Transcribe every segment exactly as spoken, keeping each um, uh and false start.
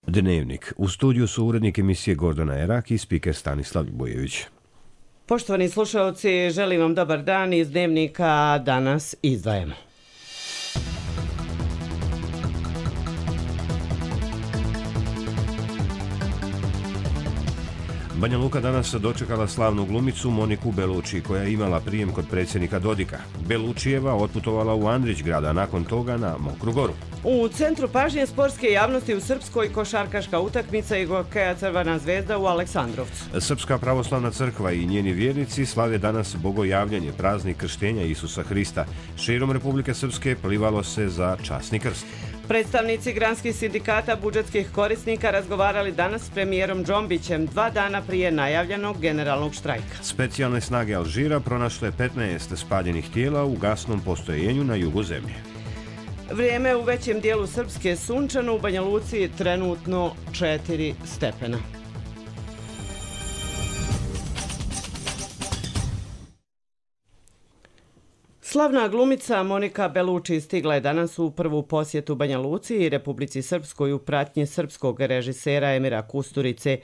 Dnevnik. U studiju su urednik emisije Gordana Erak i spiker Stanislav Ljubojević. Poštovani slušalci, želim vam dobar dan. Iz Dnevnika danas izdvajamo. Banja Luka danas dočekala slavnu glumicu Moniku Belucci, koja je imala prijem kod predsjednika Dodika. Beluccijeva otputovala u Andrić-grad, a nakon toga na Mokru Goru. U centru pažnje sportske javnosti u Srpskoj košarkaška utakmica i hokeja Crvena zvezda u Aleksandrovcu. Srpska pravoslavna crkva i njeni vjernici slave danas bogojavljanje, praznik krštenja Isusa Hrista. Širom Republike Srpske plivalo se za časni krst. Predstavnici granskih sindikata budžetskih korisnika razgovarali danas s premijerom Džombićem dva dana prije najavljenog generalnog štrajka. Specijalne snage Alžira pronašle petnaest spaljenih tijela u gasnom postrojenju na jugu zemlje. Vrijeme u većem dijelu Srpske sunčano, u Banja Luci trenutno četiri stepena. Slavna glumica Monika Belucci stigla je danas u prvu posjetu Banja Luci i Republici Srpskoj u pratnji srpskog režisera Emira Kusturice.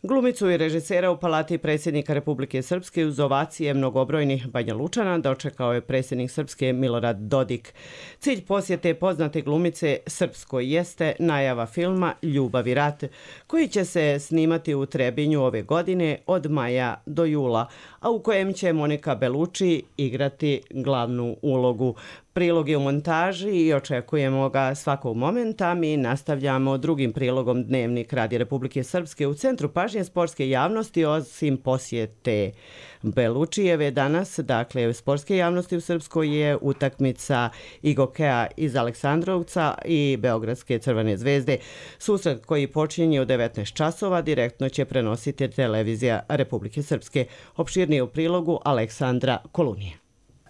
Glumicu i režisera u palati predsjednika Republike Srpske uz ovacije mnogobrojnih Banja Lučana dočekao je predsjednik Srpske Milorad Dodik. Cilj posjete poznate glumice Srpskoj jeste najava filma Ljubav i rat, koji će se snimati u Trebinju ove godine od maja do jula, a u kojem će Monika Belucci igrati glavnu ulogu. Prilog je u montaži i očekujemo ga svakog momenta. Mi nastavljamo drugim prilogom Dnevnik Radi Republike Srpske. U centru pažnje sportske javnosti, osim posjete Beluccijeve danas, dakle sportske javnosti u Srpskoj, je utakmica i hokeja iz Aleksandrovca i Beogradske Crvene zvezde. Susret koji počinje u devetnaest časova direktno će prenositi televizija Republike Srpske. Opširnije u prilogu Aleksandra Kolunije.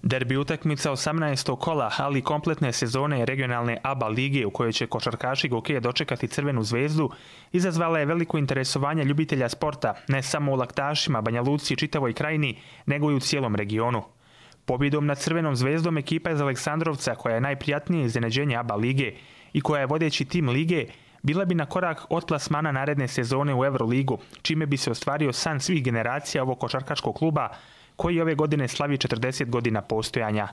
Derbi utakmica osamnaestog kola, ali kompletne sezone regionalne A B A lige u kojoj će košarkaši hokeja dočekati Crvenu zvezdu, izazvala je veliko interesovanje ljubitelja sporta, ne samo u Laktašima, Banja Luci i čitavoj krajini, nego i u cijelom regionu. Pobjedom nad Crvenom zvezdom ekipa iz Aleksandrovca, koja je najprijatnije iznenađenje A B A lige i koja je vodeći tim lige, bila bi na korak od plasmana naredne sezone u Euroligu, čime bi se ostvario san svih generacija ovog košarkaškog kluba, koji ove godine slavi četrdeset godina postojanja.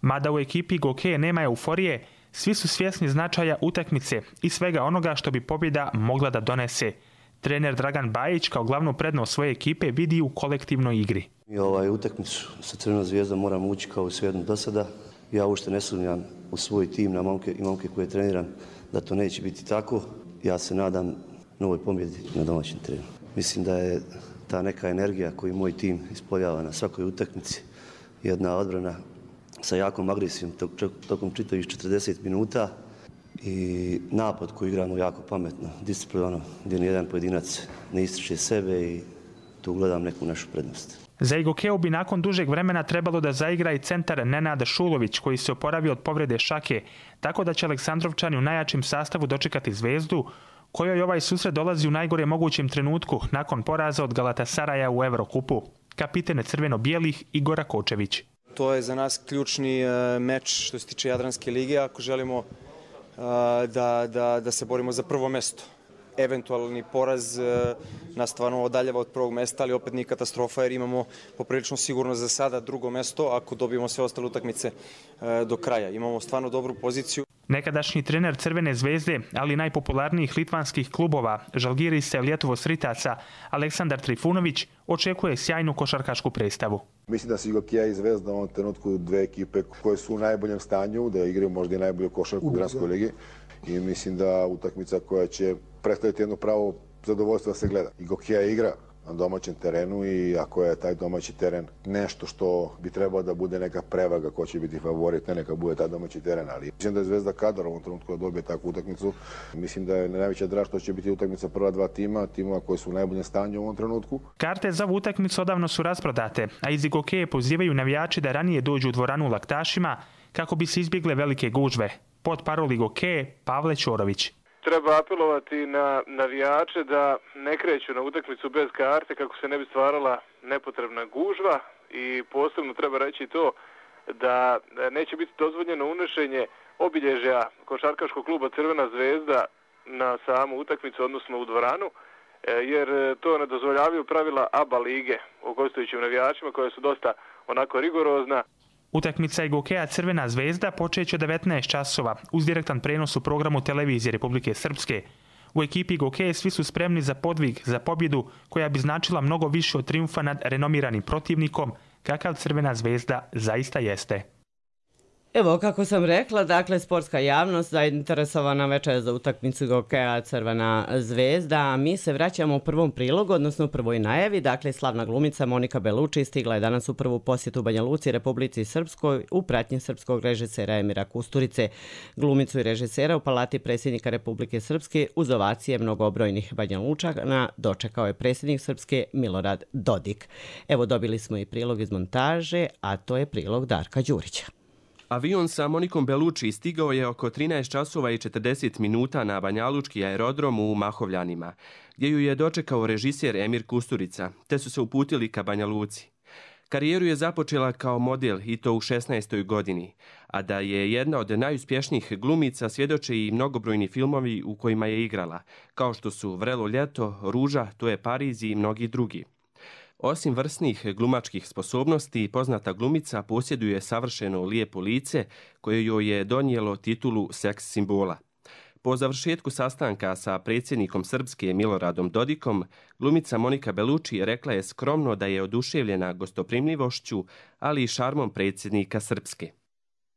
Mada u ekipi hokeja nema euforije, svi su svjesni značaja utakmice i svega onoga što bi pobjeda mogla da donese. Trener Dragan Bajić kao glavnu prednost svoje ekipe vidi u kolektivnoj igri. Mi ovaj utakmicu sa Crvenom zvijezdom moramo ući kao i svejedno do sada. Ja uopšte ne sumnjam u svoj tim na momke i momke koje treniram da to neće biti tako. Ja se nadam novoj pobjedi na domaćem terenu. Mislim da je ta neka energija koju moj tim ispoljava na svakoj utakmici, jedna odbrana sa jakom agresijom tokom čitavih četrdeset minuta i napad koji igramo jako pametno, disciplinovano, gdje nijedan pojedinac ne ističe sebe i tu gledam neku našu prednost. Za Igokeu bi nakon dužeg vremena trebalo da zaigra i centar Nenad Šulović, koji se oporavio od povrede šake, tako da će Aleksandrovčani u najjačim sastavu dočekati Zvezdu, kojoj ovaj susret dolazi u najgore mogućem trenutku nakon poraza od Galatasaraja u Evrokupu. Kapiten crveno-bijelih Igor Kočević. To je za nas ključni meč što se tiče Jadranske lige ako želimo da, da, da se borimo za prvo mesto. Eventualni poraz nas stvarno odaljava od prvog mesta, ali opet nije katastrofa jer imamo poprilično sigurno za sada drugo mesto ako dobijemo sve ostale utakmice do kraja. Imamo stvarno dobru poziciju. Nekadašnji trener Crvene zvezde, ali najpopularnijih litvanskih klubova, Žalgirisa i Lietuvos Ritaca, Aleksandar Trifunović, očekuje sjajnu košarkašku predstavu. Mislim da su Igokeja i Zvezda u ovom trenutku dve ekipe koje su u najboljem stanju, da igraju možda i najbolju košarku u Granskoj ligi i mislim da utakmica koja će predstaviti jedno pravo zadovoljstvo da se gleda. Igokeja igra na domaćem terenu i ako je taj domaći teren nešto što bi trebalo da bude neka prevaga ko će biti favorit, ne neka bude taj domaći teren, ali mislim da je Zvezda kadar u ovom trenutku da dobije takvu utakmicu. Mislim da je najveća draž što će biti utakmica prva dva tima, timova koji su u najboljem stanju u ovom trenutku. Karte za ovu utakmicu odavno su rasprodate, a iz Igokeje pozivaju navijači da ranije dođu u dvoranu u Laktašima kako bi se izbjegle velike gužve. Pod parol Igokeje Pavle Ćorović. Treba apelovati na navijače da ne kreću na utakmicu bez karte kako se ne bi stvarala nepotrebna gužva i posebno treba reći to da neće biti dozvoljeno unošenje obilježja košarkaškog kluba Crvena zvezda na samu utakmicu, odnosno u dvoranu, jer to ne dozvoljavaju pravila ABA lige o gostujućim navijačima koja su dosta onako rigorozna. Utakmica i gokeja Crvena zvezda počeće u devetnaest časova uz direktan prenos u programu televizije Republike Srpske. U ekipi gokeje svi su spremni za podvig, za pobjedu koja bi značila mnogo više od trijumfa nad renomiranim protivnikom, kakav Crvena zvezda zaista jeste. Evo, kako sam rekla, dakle, sportska javnost zainteresovana večer za utakmicu gokeja Crvena zvezda, a mi se vraćamo u prvom prilogu, odnosno u prvoj najavi. Dakle, slavna glumica Monika Beluči stigla je danas u prvu posjetu Banja Luci, Republici Srpskoj, u pratnji srpskog režisera Emira Kusturice. Glumicu i režisera u palati predsjednika Republike Srpske uz ovacije mnogobrojnih Banja Lučana dočekao je predsjednik Srpske Milorad Dodik. Evo, dobili smo i prilog iz montaže, a to je prilog Darka Đurića. Avion sa Monikom Beluči stigao je oko trinaest časova i četrdeset minuta na banjalučki aerodrom u Mahovljanima, gdje ju je dočekao režiser Emir Kusturica, te su se uputili ka Banja Luci. Karijeru je započela kao model i to u šesnaestoj godini, a da je jedna od najuspješnijih glumica svjedoče i mnogobrojni filmovi u kojima je igrala, kao što su Vrelo ljeto, Ruža, To je Pariz i mnogi drugi. Osim vrsnih glumačkih sposobnosti, poznata glumica posjeduje savršeno lijepo lice koje joj je donijelo titulu seks simbola. Po završetku sastanka sa predsjednikom Srpske Miloradom Dodikom, glumica Monika Beluči rekla je skromno da je oduševljena gostoprimljivošću, ali i šarmom predsjednika Srpske.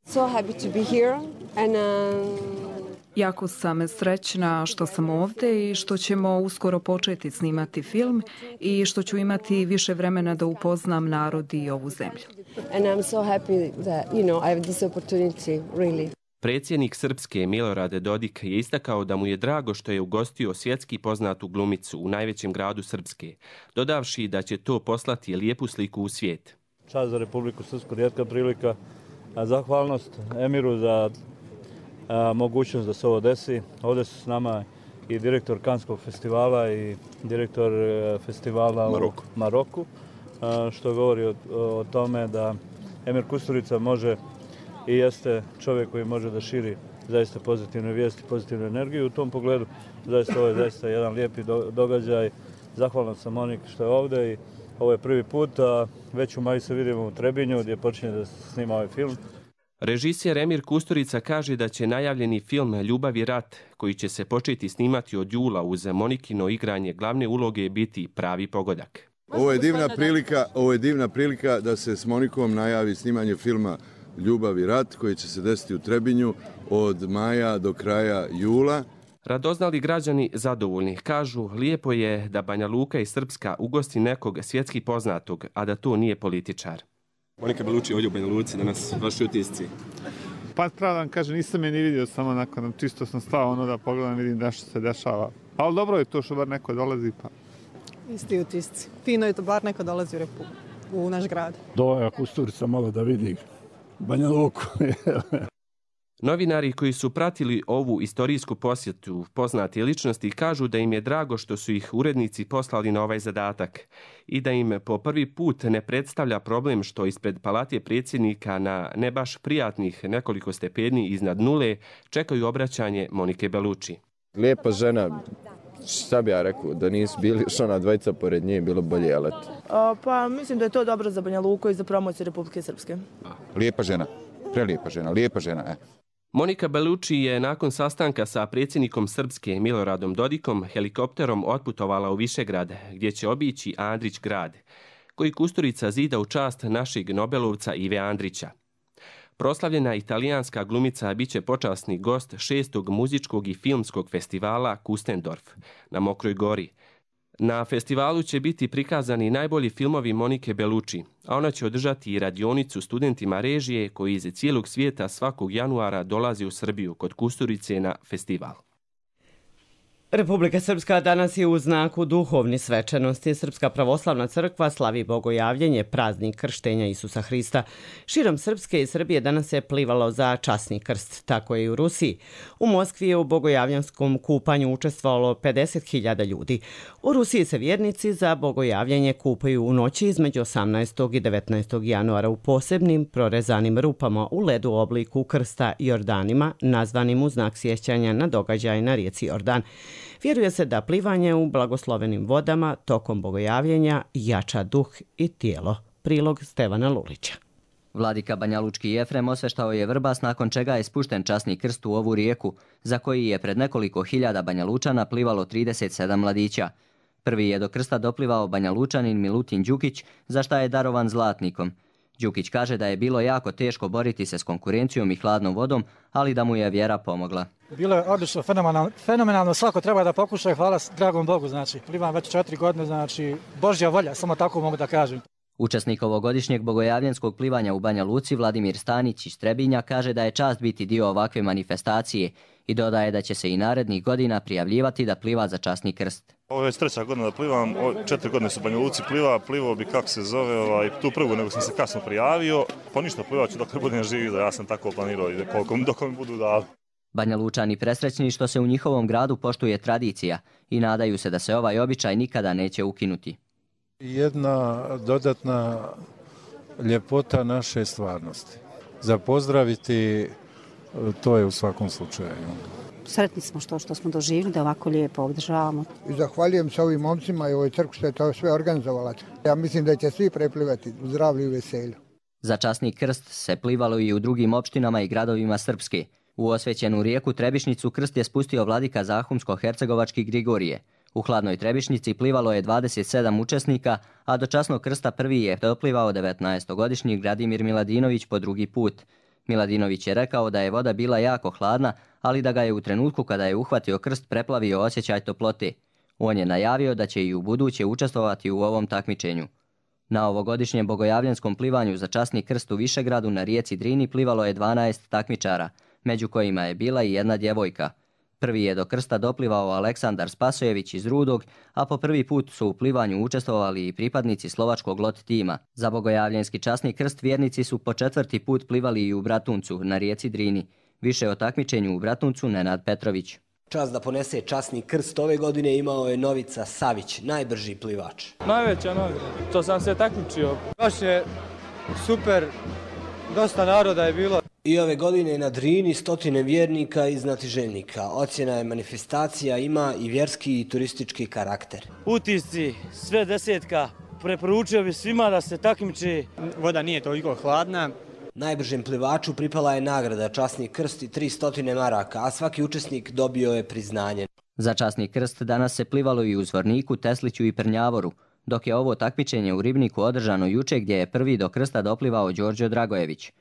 So happy to be here and uh... Jako sam srećna što sam ovdje i što ćemo uskoro početi snimati film i što ću imati više vremena da upoznam narod i ovu zemlju. And I'm so happy that, you know, I have this opportunity, really. Predsjednik Srpske Milorad Dodik je istakao da mu je drago što je ugostio svjetski poznatu glumicu u najvećem gradu Srpske, dodavši da će to poslati lijepu sliku u svijet. Čast za Republiku Srpsku, rijetka prilika. Zahvalnost Emiru za a, mogućnost da se ovo desi. Ovdje su s nama i direktor Kanskog festivala i direktor festivala Maroku. u Maroku, a, što govori o, o tome da Emir Kusturica može i jeste čovjek koji može da širi zaista pozitivne vijesti, pozitivnu energiju. U tom pogledu zaista ovo je zaista jedan lijepi događaj. Zahvalan sam Monik što je ovdje i ovo je prvi put, a već u maju se vidimo u Trebinju gdje počinje da se snima ovaj film. Režiser Emir Kusturica kaže da će najavljeni film Ljubav i rat, koji će se početi snimati od jula uz Monikino igranje glavne uloge, biti pravi pogodak. Ovo je divna prilika, ovo je divna prilika da se s Monikom najavi snimanje filma Ljubav i rat koji će se desiti u Trebinju od maja do kraja jula. Radoznali građani zadovoljni kažu lijepo je da Banja Luka i Srpska ugosti nekog svjetski poznatog, a da to nije političar. Monika Beluči ovdje u Banja Luci, danas vaši utisci. Pa pravdan kaže, nisam je ni vidio, samo nakon čisto sam stao ono da pogledam, vidim da što se dešava. Ali dobro je to što bar neko dolazi pa. Isti utisci. Fino je to bar neko dolazi u, Repu, u naš grad. Doja Kusturica malo da vidi Banja Luku. Novinari koji su pratili ovu istorijsku posjetu poznate ličnosti kažu da im je drago što su ih urednici poslali na ovaj zadatak i da im po prvi put ne predstavlja problem što ispred palate predsjednika na ne baš prijatnih nekoliko stepeni iznad nule čekaju obraćanje Monike Beluči. Lijepa žena, šta bi ja rekao, da nisu bili što ona dvojica pored nje, bilo bolje let. Pa mislim da je to dobro za Banja Luku i za promociju Republike Srpske. Lijepa žena, prelijepa žena, lijepa žena, e. Monika Beluči je nakon sastanka sa predsjednikom Srpske Miloradom Dodikom helikopterom otputovala u Višegrad, gdje će obići Andrić grad, koji Kusturica zida u čast našeg Nobelovca Ive Andrića. Proslavljena italijanska glumica biće počasni gost šestog muzičkog i filmskog festivala Kustendorf na Mokroj Gori. Na festivalu će biti prikazani najbolji filmovi Monike Beluči, a ona će održati i radionicu studentima režije koji iz cijelog svijeta svakog januara dolazi u Srbiju kod Kusturice na festival. Republika Srpska danas je u znaku duhovni svečanosti. Srpska pravoslavna crkva slavi bogojavljenje, praznik krštenja Isusa Hrista. Širom Srpske i Srbije danas se plivalo za časni krst, tako je i u Rusiji. U Moskvi je u bogojavljanskom kupanju učestvovalo pedeset hiljada ljudi. U Rusiji se vjernici za bogojavljenje kupaju u noći između osamnaestog i devetnaestog januara u posebnim prorezanim rupama u ledu u obliku krsta Jordanima, nazvanim u znak sjećanja na događaj na rijeci Jordan. Vjeruje se da plivanje u blagoslovenim vodama tokom bogojavljenja jača duh i tijelo. Prilog Stevana Lulića. Vladika Banjalučki Jefrem osveštao je Vrbas, nakon čega je spušten časni krst u ovu rijeku, za koji je pred nekoliko hiljada Banjalučana plivalo trideset sedam mladića. Prvi je do krsta doplivao Banjalučanin Milutin Đukić, za šta je darovan zlatnikom. Đukić kaže da je bilo jako teško boriti se s konkurencijom i hladnom vodom, ali da mu je vjera pomogla. Bilo je odlično, fenomenalno, fenomenalno, svako treba da pokuša i hvala dragom Bogu, znači, plivam već četiri godine, znači, Božja volja, samo tako mogu da kažem. Učesnik ovogodišnjeg bogojavljenskog plivanja u Banja Luci, Vladimir Stanić iz Trebinja, kaže da je čast biti dio ovakve manifestacije i dodaje da će se i narednih godina prijavljivati da pliva za časni krst. Ovo je već treća godina da plivam, četiri godine su u Banja Luci pliva, plivao bi kako se zove, ovaj, tu prvu nego sam se kasno prijavio, pa ništa plivat ću dok ne budem živi, da ja sam tako planirao i koliko, dok mi budu dali. Banja Lučani presrećni što se u njihovom gradu poštuje tradicija i nadaju se da se ovaj običaj nikada neće ukinuti. Jedna dodatna ljepota naše stvarnosti. Za pozdraviti to je u svakom slučaju. Sretni smo što, što smo doživjeli da ovako lijepo održavamo. I zahvaljujem se ovim momcima i ovoj crkvi što je to sve organizovala. Ja mislim da će svi preplivati u zdravlju i veselju. Za časni krst se plivalo i u drugim opštinama i gradovima Srpske. U osvećenu rijeku Trebišnicu krst je spustio vladika Zahumsko-hercegovački Grigorije. U hladnoj Trebišnici plivalo je dvadeset sedam učesnika, a do časnog krsta prvi je doplivao devetnaestogodišnji Gradimir Miladinović po drugi put. Miladinović je rekao da je voda bila jako hladna, ali da ga je u trenutku kada je uhvatio krst preplavio osjećaj toplote. On je najavio da će i u buduće učestvovati u ovom takmičenju. Na ovogodišnjem bogojavljenskom plivanju za časni krst u Višegradu na rijeci Drini plivalo je dvanaest takmičara, među kojima je bila i jedna djevojka. Prvi je do krsta doplivao Aleksandar Spasojević iz Rudog, a po prvi put su u plivanju učestvovali i pripadnici slovačkog lot tima. Za bogojavljenski časni krst vjernici su po četvrti put plivali i u Bratuncu na rijeci Drini. Više o takmičenju u Bratuncu Nenad Petrović. Čast da ponese časni krst ove godine imao je Novica Savić, najbrži plivač. Najveća nagrada, to sam se takmičio. Baš je super, dosta naroda je bilo. I ove godine na Drini stotine vjernika i znatiželjnika. Ocjena je manifestacija ima i vjerski i turistički karakter. Utisci, sve desetka, preporučio bi svima da se takmiči. Voda nije toliko hladna. Najbržem plivaču pripala je nagrada časni krst i tristo maraka, a svaki učesnik dobio je priznanje. Za časni krst danas se plivalo i u Zvorniku, Tesliću i Prnjavoru, dok je ovo takmičenje u Ribniku održano juče gdje je prvi do krsta doplivao Đorđe Dragojević.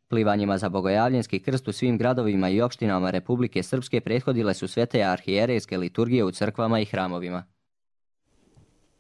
Plivanjima za bogojavljenski krst u svim gradovima i opštinama Republike Srpske prethodile su svete arhijerejske liturgije u crkvama i hramovima.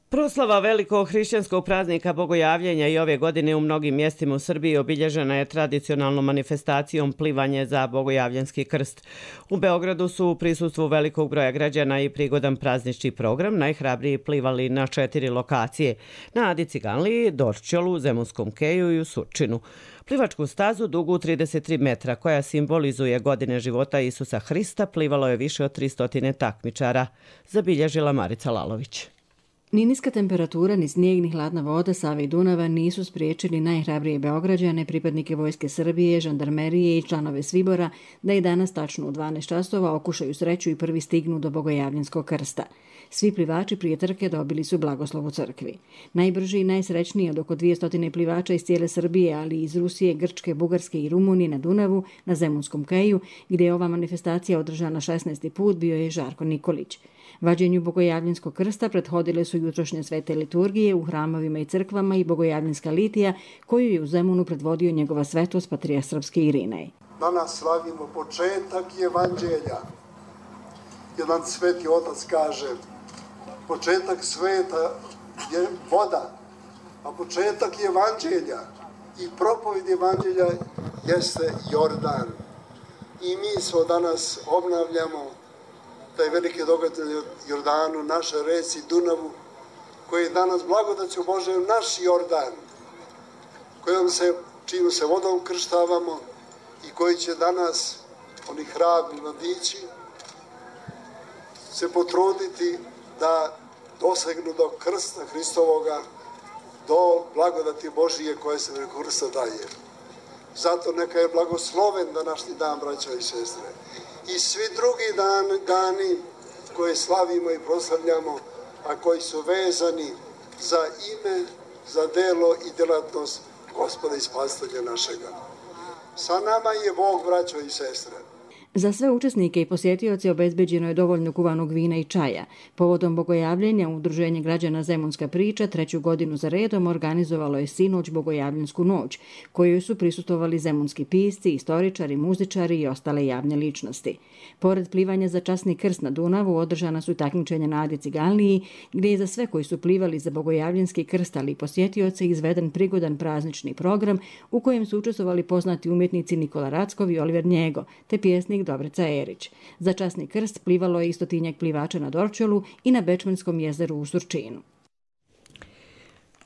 Proslava velikog hrišćanskog praznika bogojavljenja i ove godine u mnogim mjestima u Srbiji obilježena je tradicionalnom manifestacijom plivanje za bogojavljenski krst. U Beogradu su u prisustvu velikog broja građana i prigodan praznični program najhrabriji plivali na četiri lokacije: na Adi Ciganliji, Dorćolu, Zemunskom keju i u Surčinu. Plivačku stazu dugu trideset tri metra koja simbolizuje godine života Isusa Hrista plivalo je više od tristo takmičara, zabilježila Marica Lalović. Ni niska temperatura, ni snijeg, ni hladna voda Save i Dunava nisu spriječili najhrabrije Beograđane, pripadnike Vojske Srbije, žandarmerije i članove Svibora da i danas tačno u dvanaest časova okušaju sreću i prvi stignu do bogojavljenskog krsta. Svi plivači prije trke dobili su blagoslov u crkvi. Najbrži i najsrećniji od oko dvjesto plivača iz cijele Srbije, ali i iz Rusije, Grčke, Bugarske i Rumunije na Dunavu, na Zemunskom keju, gdje je ova manifestacija održana šesnaesti put, bio je Žarko Nikolić. Vađenju bogojavljenskog krsta prethodile su jutrošnje svete liturgije u hramovima i crkvama i bogojavljenska litija koju je u Zemunu predvodio njegova svetost patrijarh srpski Irinej. Danas slavimo početak evanđelja. Jedan sveti otac kaže, početak sveta je voda, a početak evanđelja i propovjed evanđelja jeste Jordan. I mi smo danas obnavljamo taj veliki događaj Jordanu, naše reci Dunavu, koji je danas blagodaću Božem naš Jordan, kojom se, čijom se vodom krštavamo i koji će danas, oni hrabri mladići, se potruditi da dosegnu do krsta Hristovoga, do blagodati Božije koje se preko krsta daje. Zato neka je blagosloven današnji dan, braćo i sestre. I svi drugi dan, dani koje slavimo i proslavljamo, a koji su vezani za ime, za delo i djelatnost Gospoda i Spasitelja našega. Sa nama je Bog, braćo i sestre. Za sve učesnike i posjetioce obezbeđeno je dovoljno kuvanog vina i čaja. Povodom bogojavljenja Udruženje građana Zemunska priča treću godinu za redom organizovalo je sinoć Bogojavljensku noć, kojoj su prisustvovali zemunski pisci, istoričari, muzičari i ostale javne ličnosti. Pored plivanja za časni krst na Dunavu, održana su takmičenja na Adi Ciganliji, gdje je za sve koji su plivali za Bogojavljenski krst, ali i posjetioce, izveden prigodan praznični program u kojem su učestvovali poznati umjetnici Nikola Rackov i Oliver Njego, te pjesnik Dobrica Erić. Za časni krst plivalo je i stotinjak plivača na Dorčolu i na Bečmanskom jezeru u Surčinu.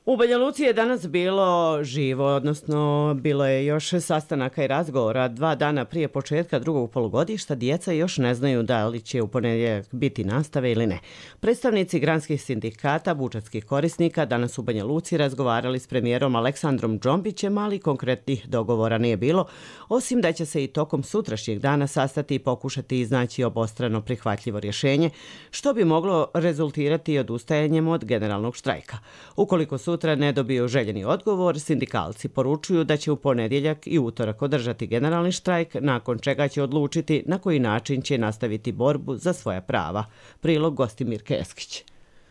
U Banja Luci je danas bilo živo, odnosno bilo je još sastanaka i razgovora. Dva dana prije početka drugog polugodišta djeca još ne znaju da li će u ponedjeljak biti nastave ili ne. Predstavnici granskih sindikata budžetskih korisnika danas u Banja Luci razgovarali s premijerom Aleksandrom Džombićem, ali konkretnih dogovora nije bilo, osim da će se i tokom sutrašnjeg dana sastati i pokušati iznaći obostrano prihvatljivo rješenje, što bi moglo rezultirati odustajanjem od generalnog štrajka. Ukoliko sutra ne dobiju željeni odgovor, sindikalci poručuju da će u ponedjeljak i utorak održati generalni štrajk, nakon čega će odlučiti na koji način će nastaviti borbu za svoja prava. Prilog Gostimir Keskić.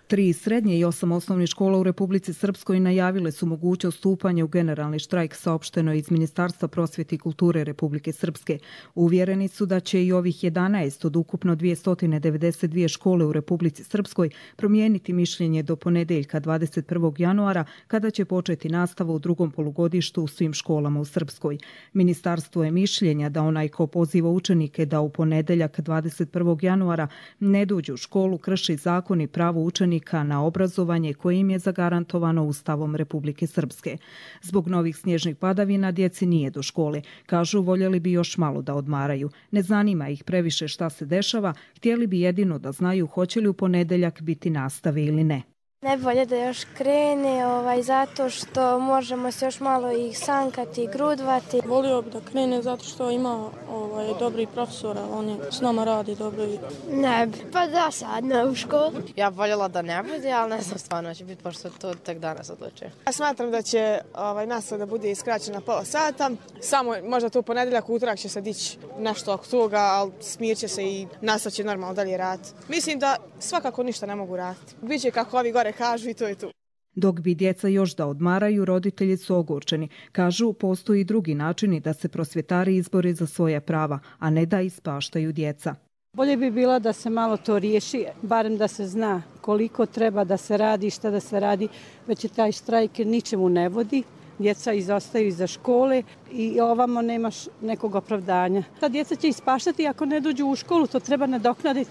Tri srednje i osam osnovnih škola u Republici Srpskoj najavile su mogućnost stupanja u generalni štrajk, saopšteno iz Ministarstva prosvjete i kulture Republike Srpske. Uvjereni su da će i ovih jedanaest od ukupno dvjesto devedeset dvije škole u Republici Srpskoj promijeniti mišljenje do ponedeljka dvadeset prvog januara, kada će početi nastava u drugom polugodištu u svim školama u Srpskoj. Ministarstvo je mišljenja da onaj ko poziva učenike da u ponedeljak dvadeset prvog januara ne dođu u školu krši zakon i pravo učenika na obrazovanje koje im je zagarantovano Ustavom Republike Srpske. Zbog novih snježnih padavina djeci nije do škole. Kažu, voljeli bi još malo da odmaraju. Ne zanima ih previše šta se dešava, htjeli bi jedino da znaju hoće li u ponedeljak biti nastave ili ne. Najbolje da još krene, ovaj, zato što možemo se još malo ih sankati i grudvati. Volio bi da krene zato što ima ovaj, dobri profesora, on je s nama radi dobro. Ne bi, pa da sad ne u školu. Ja voljela da ne bude, ali ne znam stvarno će biti, pošto to tek danas odlučuje. Ja smatram da će ovaj, nastava da bude iskraćena pola sata, samo možda tu ponedeljak, utorak će se dići nešto oko toga, ali smirit će se i nastava će normalno dalje raditi. Mislim da svakako ništa ne mogu raditi. Biće kako ovi gore kažu i to je to. Dok bi djeca još da odmaraju, roditelji su ogorčeni. Kažu, postoji drugi načini da se prosvjetari izbore za svoja prava, a ne da ispaštaju djeca. Bolje bi bilo da se malo to riješi, barem da se zna koliko treba da se radi i šta da se radi, već je taj štrajk ničemu ne vodi. Djeca izostaju iza škole i ovamo nemaš nekog opravdanja. Ta djeca će ispaštati ako ne dođu u školu, to treba nadoknaditi.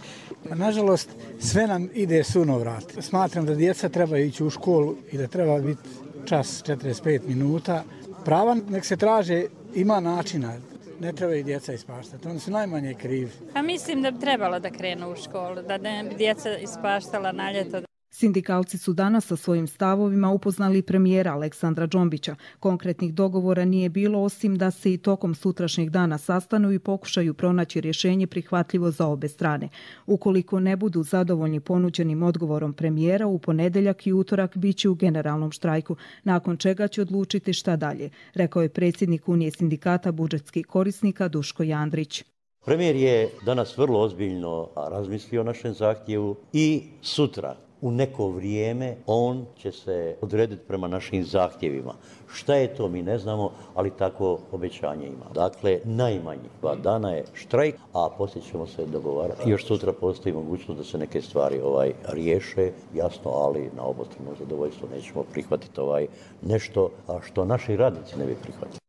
Nažalost, sve nam ide sunovrat. Smatram da djeca treba ići u školu i da treba biti čas četrdeset pet minuta. Prava nek se traže, ima načina. Ne treba i djeca ispaštati, oni su najmanje krivi. A mislim da bi trebalo da krenu u školu, da ne bi djeca ispaštala na ljeto. Sindikalci su danas sa svojim stavovima upoznali premijera Aleksandra Džombića. Konkretnih dogovora nije bilo, osim da se i tokom sutrašnjeg dana sastanu i pokušaju pronaći rješenje prihvatljivo za obe strane. Ukoliko ne budu zadovoljni ponuđenim odgovorom premijera, u ponedeljak i utorak biće u generalnom štrajku, nakon čega će odlučiti šta dalje, rekao je predsjednik Unije sindikata budžetskih korisnika Duško Jandrić. Premijer je danas vrlo ozbiljno razmislio o našem zahtjevu i sutra u neko vrijeme on će se odrediti prema našim zahtjevima. Šta je to mi ne znamo, ali tako obećanje ima. Dakle, najmanje dva dana je štrajk, a poslije ćemo se dogovarati. Još sutra postoji mogućnost da se neke stvari ovaj riješe, jasno, ali na obostrano zadovoljstvo nećemo prihvatiti ovaj nešto, a što naši radnici ne bi prihvatili.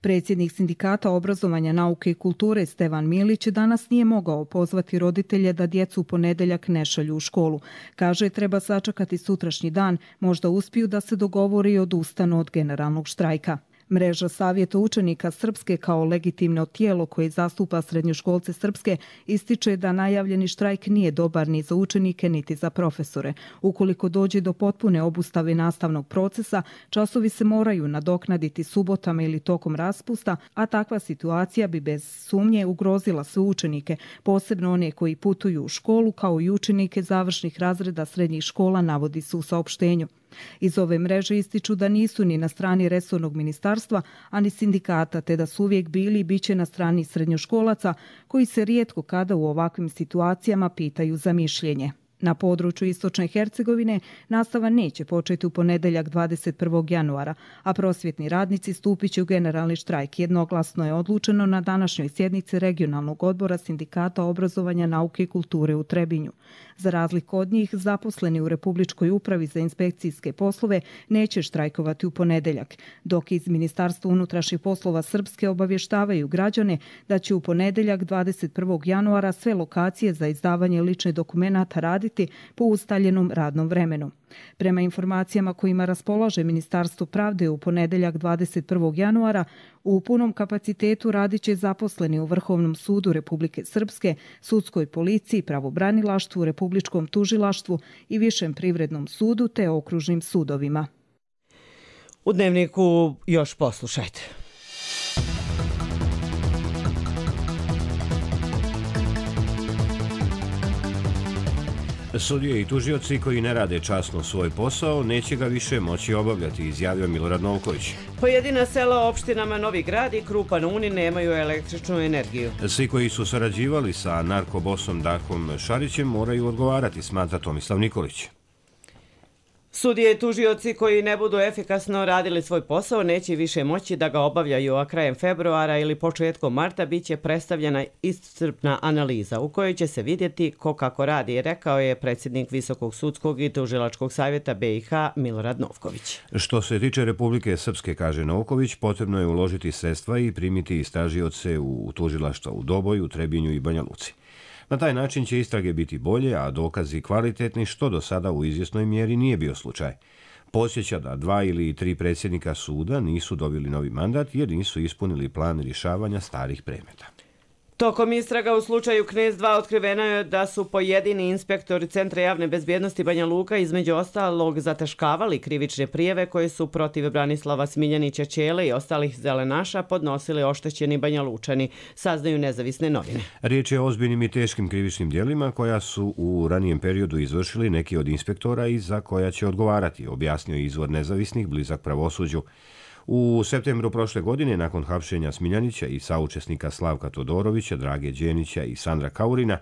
Predsjednik Sindikata obrazovanja, nauke i kulture Stevan Milić danas nije mogao pozvati roditelje da djecu u ponedeljak ne šalju u školu. Kaže, treba sačekati sutrašnji dan, možda uspiju da se dogovori i odustanu od generalnog štrajka. Mreža Savjeta učenika Srpske kao legitimno tijelo koje zastupa srednjoškolce Srpske ističe da najavljeni štrajk nije dobar ni za učenike niti za profesore. Ukoliko dođe do potpune obustave nastavnog procesa, časovi se moraju nadoknaditi subotama ili tokom raspusta, a takva situacija bi bez sumnje ugrozila sve učenike, posebno one koji putuju u školu kao i učenike završnih razreda srednjih škola, navodi se u saopštenju. Iz ove mreže ističu da nisu ni na strani resornog ministarstva, ani sindikata, te da su uvijek bili i bit će na strani srednjoškolaca koji se rijetko kada u ovakvim situacijama pitaju za mišljenje. Na području Istočne Hercegovine nastava neće početi u ponedeljak dvadeset prvog januara, a prosvjetni radnici stupit će u generalni štrajk. Jednoglasno je odlučeno na današnjoj sjednici regionalnog odbora Sindikata obrazovanja, nauke i kulture u Trebinju. Za razliku od njih, zaposleni u Republičkoj upravi za inspekcijske poslove neće štrajkovati u ponedeljak, dok iz Ministarstva unutrašnjih poslova Srpske obavještavaju građane da će u ponedeljak dvadeset prvog januara sve lokacije za izdavanje ličnih dokumenata raditi po ustaljenom radnom vremenu. Prema informacijama kojima raspolaže Ministarstvo pravde, u ponedeljak dvadeset prvog januara u punom kapacitetu radit će zaposleni u Vrhovnom sudu Republike Srpske, sudskoj policiji, pravobranilaštvu, Republičkom tužilaštvu i Višem privrednom sudu te okružnim sudovima. U Dnevniku još poslušajte. Sudije i tužioci koji ne rade časno svoj posao neće ga više moći obavljati, izjavio Milorad Novković. Pojedina sela opštinama Novi Grad i Krupa na Uni nemaju električnu energiju. Svi koji su sarađivali sa narkobosom Darkom Šarićem moraju odgovarati, smatra Tomislav Nikolić. Sudije i tužioci koji ne budu efikasno radili svoj posao neće više moći da ga obavljaju, a krajem februara ili početkom marta bit će predstavljena iscrpna analiza u kojoj će se vidjeti ko kako radi, rekao je predsjednik Visokog sudskog i tužilačkog savjeta B i H Milorad Novković. Što se tiče Republike Srpske, kaže Novković, potrebno je uložiti sredstva i primiti istražioce u tužilaštva u Doboju, Trebinju i Banja Luci. Na taj način će istrage biti bolje, a dokazi kvalitetni, što do sada u izvjesnoj mjeri nije bio slučaj. Podsjeća da dva ili tri predsjednika suda nisu dobili novi mandat jer nisu ispunili plan rješavanja starih predmeta. Tokom istraga u slučaju Knez dva otkriveno je da su pojedini inspektori Centra javne bezbjednosti Banja Luka između ostalog zataškavali krivične prijeve koje su protiv Branislava Smiljanića Ćele i ostalih zelenaša podnosili oštećeni Banja Lučani, saznaju nezavisne novine. Riječ je o ozbiljnim i teškim krivičnim djelima koja su u ranijem periodu izvršili neki od inspektora i za koja će odgovarati, objasnio je izvor nezavisnih blizak pravosuđu. U septembru prošle godine, nakon hapšenja Smiljanića i saučesnika Slavka Todorovića, Drage Đenića i Sandra Kaurina,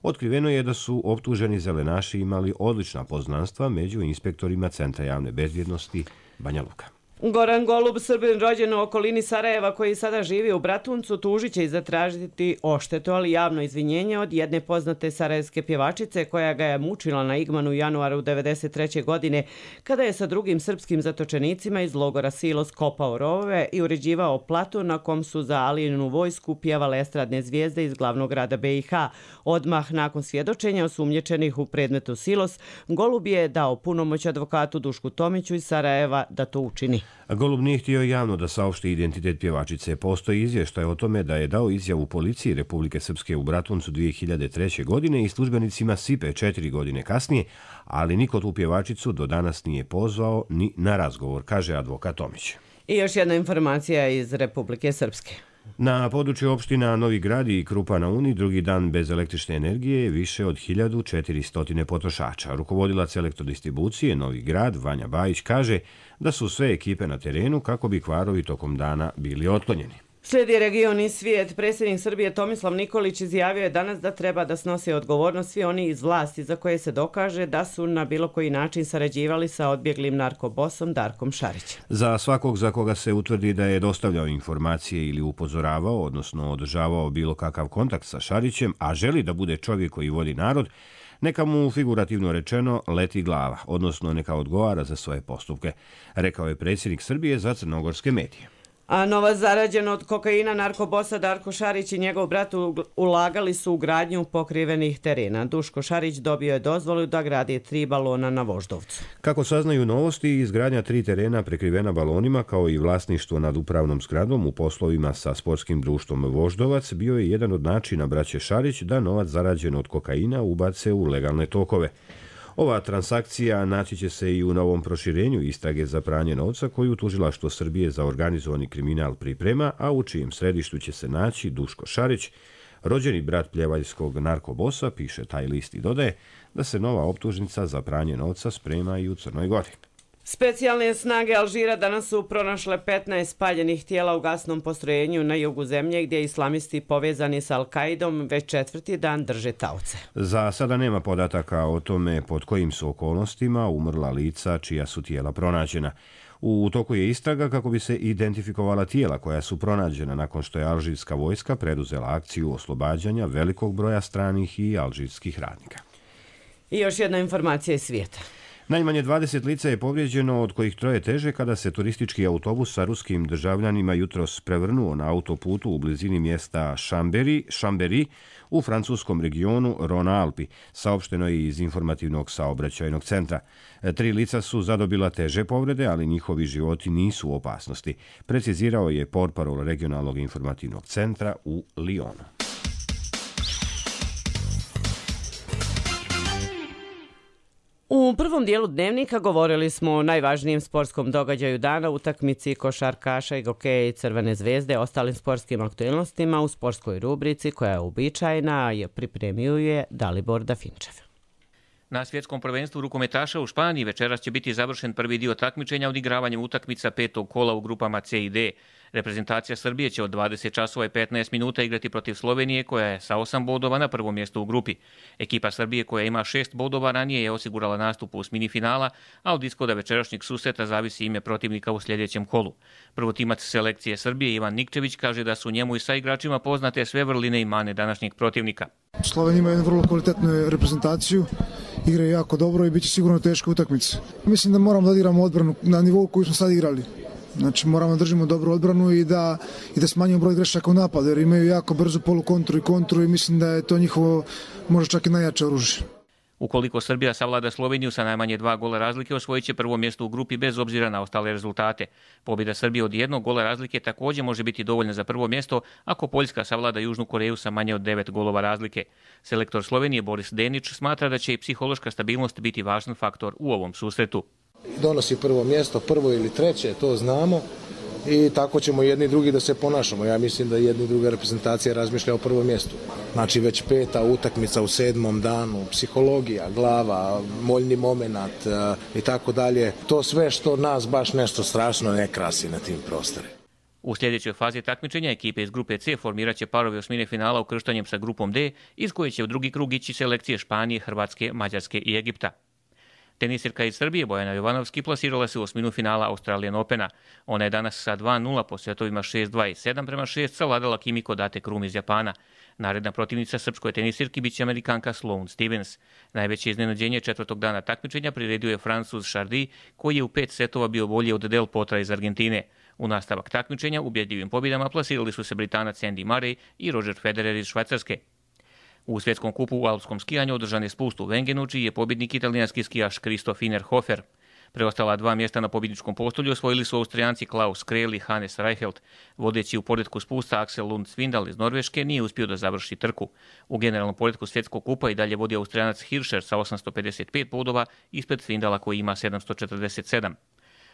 otkriveno je da su optuženi zelenaši imali odlična poznanstva među inspektorima Centra javne bezbjednosti Banja Luka. Goran Golub, Srbin rođen u okolini Sarajeva koji sada živi u Bratuncu, tužit će i zatražiti odštetu, ali javno izvinjenje od jedne poznate sarajevske pjevačice koja ga je mučila na Igmanu u januaru devedeset treće godine kada je sa drugim srpskim zatočenicima iz logora Silos kopao rovove i uređivao platu na kom su za Alijinu vojsku pjevale estradne zvijezde iz glavnog grada B i H. Odmah nakon svjedočenja osumnjičenih u predmetu Silos, Golub je dao punomoć advokatu Dušku Tomiću iz Sarajeva da to učini. Golub nije htio javno da saopšti identitet pjevačice. Postoji izvještaj o tome da je dao izjavu policiji Republike Srpske u Bratuncu dvije hiljade treće. godine i službenicima S I P E četiri godine kasnije, ali niko tu pjevačicu do danas nije pozvao ni na razgovor, kaže advokat Tomić. I još jedna informacija iz Republike Srpske. Na području opština Novi Grad i Krupa na Uni drugi dan bez električne energije je više od hiljadu četiristo potrošača. Rukovodilac elektrodistribucije Novi Grad Vanja Bajić kaže da su sve ekipe na terenu kako bi kvarovi tokom dana bili otklonjeni. Slijedi region i svijet. Predsjednik Srbije Tomislav Nikolić izjavio je danas da treba da snose odgovornost svi oni iz vlasti za koje se dokaže da su na bilo koji način sarađivali sa odbjeglim narkobosom Darkom Šarićem. Za svakog za koga se utvrdi da je dostavljao informacije ili upozoravao, odnosno održavao bilo kakav kontakt sa Šarićem, a želi da bude čovjek koji voli narod, neka mu figurativno rečeno leti glava, odnosno neka odgovara za svoje postupke, rekao je predsjednik Srbije za crnogorske medije. A novac zarađen od kokaina narkobosa Darko Šarić i njegov brat ulagali su u gradnju pokrivenih terena. Duško Šarić dobio je dozvolu da gradi tri balona na Voždovcu. Kako saznaju novosti, izgradnja tri terena prekrivena balonima kao i vlasništvo nad upravnom zgradom u poslovima sa sportskim društvom Voždovac bio je jedan od načina braće Šarić da novac zarađen od kokaina ubace u legalne tokove. Ova transakcija naći će se i u novom proširenju istrage za pranje novca koju Tužilaštvo Srbije za organizovani kriminal priprema, a u čijem središtu će se naći Duško Šarić, rođeni brat pljevaljskog narkobosa, piše taj list i dodaje da se nova optužnica za pranje novca sprema i u Crnoj Gori. Specijalne snage Alžira danas su pronašle petnaest spaljenih tijela u gasnom postrojenju na jugu zemlje gdje islamisti povezani sa Al-Kaidom već četvrti dan drže taoce. Za sada nema podataka o tome pod kojim su okolnostima umrla lica čija su tijela pronađena. U toku je istraga kako bi se identifikovala tijela koja su pronađena nakon što je alžirska vojska preduzela akciju oslobađanja velikog broja stranih i alžirskih radnika. I još jedna informacija iz svijeta. Najmanje dvadeset lica je povrijeđeno, od kojih troje teže kada se turistički autobus sa ruskim državljanima jutros prevrnuo na autoputu u blizini mjesta Chambéry, Chambéry u francuskom regionu Rhône-Alpes, saopšteno je iz informativnog saobraćajnog centra. Tri lica su zadobila teže povrede, ali njihovi životi nisu u opasnosti, precizirao je portparol regionalnog informativnog centra u Lyonu. U prvom dijelu dnevnika govorili smo o najvažnijem sportskom događaju dana, utakmici košarkaša i hokeja i Crvene zvezde, ostalim sportskim aktualnostima u sportskoj rubrici koja je uobičajena, je pripremio je Dalibor Dafinčev. Na svjetskom prvenstvu rukometaša u Španiji večeras će biti završen prvi dio takmičenja odigravanjem utakmica petog kola u grupama C i D. Reprezentacija Srbije će od dvadeset časova i petnaest minuta igrati protiv Slovenije koja je sa osam bodova na prvom mjestu u grupi. Ekipa Srbije koja ima šest bodova ranije je osigurala nastup u osmini finala, a od ishoda večerašnjeg susreta zavisi ime protivnika u sljedećem kolu. Prvotimac selekcije Srbije Ivan Nikčević kaže da su njemu i sa igračima poznate sve vrline i mane današnjeg protivnika. Slovenija ima jednu vrlo kvalitetnu reprezentaciju, igraju jako dobro i bit će sigurno teška utakmica. Mislim da moramo da odigramo odbranu na nivou koju smo sad igrali. Znači moramo da držimo dobru odbranu i da, i da smanjimo broj grešaka u napadu, jer imaju jako brzu polukontru i kontru i mislim da je to njihovo možda čak i najjače oružje. Ukoliko Srbija savlada Sloveniju sa najmanje dva gola razlike, osvojit će prvo mjesto u grupi bez obzira na ostale rezultate. Pobjeda Srbije od jednog gola razlike također može biti dovoljna za prvo mjesto ako Poljska savlada Južnu Koreju sa manje od devet golova razlike. Selektor Slovenije Boris Denić smatra da će i psihološka stabilnost biti važan faktor u ovom susretu. Donosi prvo mjesto, prvo ili treće, to znamo i tako ćemo jedni i drugi da se ponašamo. Ja mislim da jedna i druga reprezentacija razmišlja o prvom mjestu. Znači već peta utakmica u sedmom danu, psihologija, glava, moljni momenat i tako dalje. To sve što nas baš nešto strašno ne krasi na tim prostorima. U sljedećoj fazi takmičenja ekipe iz grupe C formirat će parovi osmine finala ukrštanjem sa grupom D, iz koje će u drugi krug ići selekcije Španije, Hrvatske, Mađarske i Egipta. Tenisirka iz Srbije Bojana Jovanovski plasirala se u osminu finala Australian Opena. Ona je danas sa dva nula po setovima šest dva i sedam prema šest savladala Kimiko Date Krum iz Japana. Naredna protivnica srpskoj tenisirki biće Amerikanka Sloane Stevens. Najveće iznenađenje četvrtog dana takmičenja priredio je Francuz Chardy, koji je u pet setova bio bolji od Del Potra iz Argentine. U nastavak takmičenja ubjedljivim pobjedama plasirali su se Britanac Andy Murray i Roger Federer iz Švajcarske. U svjetskom kupu u alpskom skijanju održan je spust u Vengenu, čiji je pobjednik italijanski skijaš Christoph Innerhofer. Preostala dva mjesta na pobjedničkom postolju osvojili su Austrijanci Klaus Krell i Hannes Reichelt. Vodeći u poretku spusta Axel Lund Svindal iz Norveške nije uspio da završi trku. U generalnom poretku svjetskog kupa i dalje vodi Austrijanac Hirscher sa osamsto pedeset pet bodova ispred Svindala koji ima sedamsto četrdeset sedam.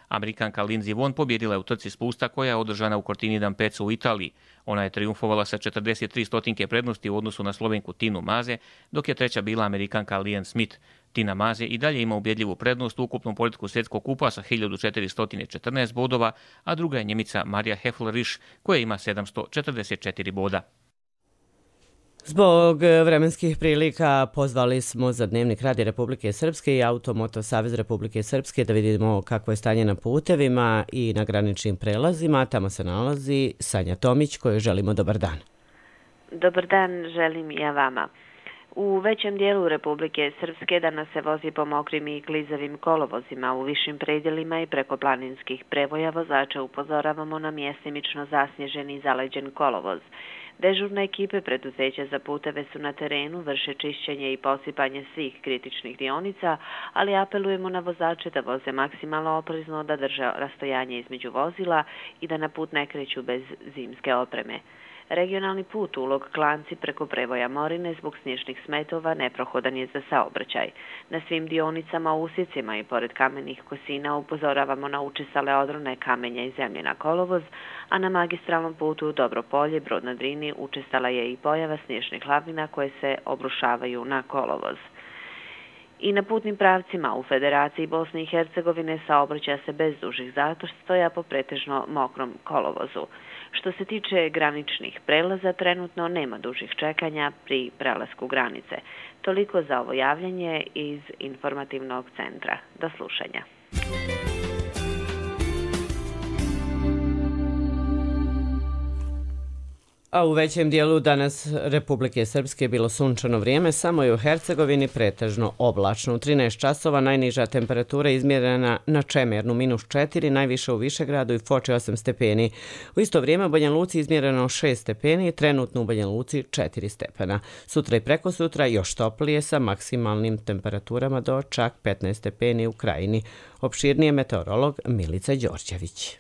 Amerikanka Lindsey Vonn pobjedila je u trci spusta koja je održana u Cortini d'Ampezzo u Italiji. Ona je triumfovala sa četrdeset tri stotinke prednosti u odnosu na Slovenku Tinu Maze, dok je treća bila Amerikanka Lian Smith. Tina Maze i dalje ima ubjedljivu prednost u ukupnom poretku svjetskog kupa sa hiljadu četiristo četrnaest bodova, a druga je Njemica Marija Heffler-Risch koja ima sedamsto četrdeset četiri boda. Zbog vremenskih prilika pozvali smo za Dnevnik Radija Republike Srpske i Automoto Savez Republike Srpske da vidimo kakvo je stanje na putevima i na graničnim prelazima. Tamo se nalazi Sanja Tomić kojoj želimo dobar dan. Dobar dan, želim i ja vama. U većem dijelu Republike Srpske danas se vozi po mokrim i klizavim kolovozima. U višim predjelima i preko planinskih prevoja vozača upozoravamo na mjestimično zasnježeni i zaleđen kolovoz. Dežurne ekipe preduzeća za puteve su na terenu, vrše čišćenje i posipanje svih kritičnih dionica, ali apelujemo na vozače da voze maksimalno oprezno, da drže rastojanje između vozila i da na put ne kreću bez zimske opreme. Regionalni put Ulog Klanci preko prevoja Morine zbog snježnih smetova neprohodan je za saobraćaj. Na svim dionicama, usjecima i pored kamenih kosina upozoravamo na učestale odrone kamenja i zemlje na kolovoz, a na magistralnom putu Dobropolje, Brod na Drini učestala je i pojava snježnih lavina koje se obrušavaju na kolovoz. I na putnim pravcima u Federaciji Bosne i Hercegovine saobraća se bez dužih zatostoja po pretežno mokrom kolovozu. Što se tiče graničnih prelaza, trenutno nema dužih čekanja pri prelasku granice. Toliko za ovo javljanje iz informativnog centra. Do slušanja. A u većem dijelu danas Republike Srpske je bilo sunčano vrijeme, samo je u Hercegovini pretežno oblačno. U trinaest časova najniža temperatura izmjerena na Čemernu minus četiri, najviše u Višegradu i Foči osam stepeni. U isto vrijeme u Banja Luci izmjereno šest stepeni, trenutno u Banja Luci četiri stepena. Sutra i preko sutra još toplije sa maksimalnim temperaturama do čak petnaest stepeni u Krajini. Opširnije meteorolog Milica Đorđević.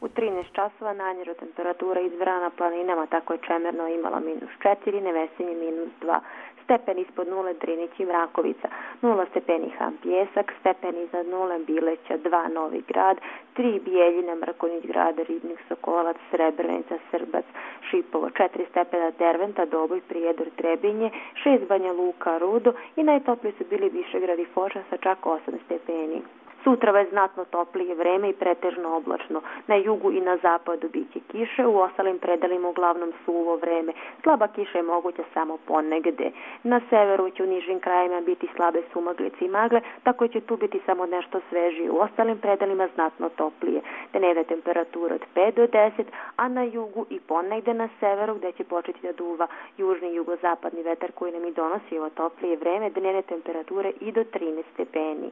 U trinaest časova najniža temperatura izvrana na planinama, tako je Čemerno imala minus četiri, Nevesinje minus dva, stepen ispod nule Drinić i Mrakovica, nula stepeni Han Pjesak, stepen iznad nule Bileća, dva Novi Grad, tri Bijeljina, Mrkonjić Grad, Ribnik, Sokolac, Srebrenica, Srbac, Šipovo, četiri stepena Derventa, Doboj, Prijedor, Trebinje, šest Banja Luka, Rudo i najtopliji su bili Višegrad i Foča sa čak osam stepeni. Sutra je znatno toplije vreme i pretežno oblačno. Na jugu i na zapadu biće kiše, u ostalim predelima uglavnom suvo vreme. Slaba kiša je moguća samo ponegde. Na severu će u nižim krajima biti slabe sumaglice i magle, tako će tu biti samo nešto svežije. U ostalim predelima znatno toplije. Dnevne temperature od pet do deset, a na jugu i ponegde na severu gde će početi da duva južni i jugozapadni vetar koji nam i donosi ovo toplije vreme, dnevne temperature i do trinaest stepeni.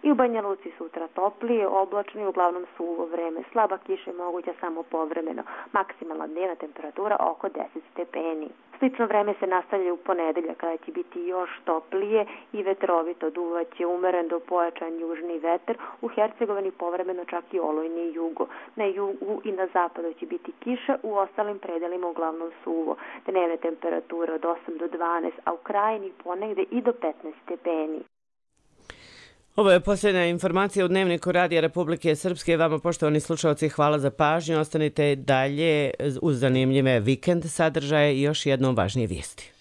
I u Banja Luci sutra toplije, oblačno i uglavnom suvo vreme. Slaba kiša je moguća samo povremeno. Maksimalna dnevna temperatura oko deset stepeni. Slično vreme se nastavlja u ponedeljak kada će biti još toplije i vetrovito. Duvaće umeren do pojačan južni vetar, u Hercegovini povremeno čak i olujni jugo. Na jugu i na zapadu će biti kiša, u ostalim predelima uglavnom suvo. Dnevne temperature od osam do dvanaest, a u Krajini ponegde i do petnaest stepeni. Ovo je posljednja informacija u Dnevniku Radija Republike Srpske. Vama, poštovani slušalci, hvala za pažnju. Ostanite dalje uz zanimljive vikend sadržaje i još jednom važnije vijesti.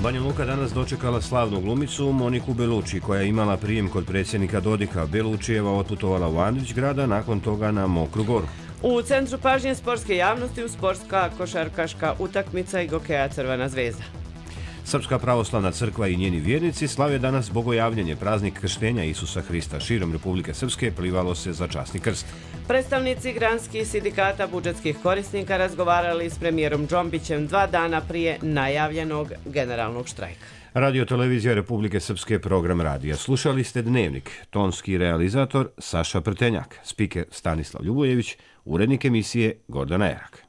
Banja Luka danas dočekala slavnu glumicu Moniku Beluči, koja je imala prijem kod predsjednika Dodika. Belučijeva otputovala u Andrić grada, nakon toga na Mokru Goru. U centru pažnje sportske javnosti u sportska košarkaška utakmica i gokeja Crvena zvezda. Srpska pravoslavna crkva i njeni vjernici slave danas bogojavljanje, praznik krštenja Isusa Hrista. Širom Republike Srpske plivalo se za časni krst. Predstavnici granskih sindikata budžetskih korisnika razgovarali s premijerom Džombićem dva dana prije najavljenog generalnog štrajka. Radio Televizija Republike Srpske, program radija. Slušali ste Dnevnik, tonski realizator Saša Prtenjak, spiker Stanislav Ljubojević, urednik emisije Gordana Erak.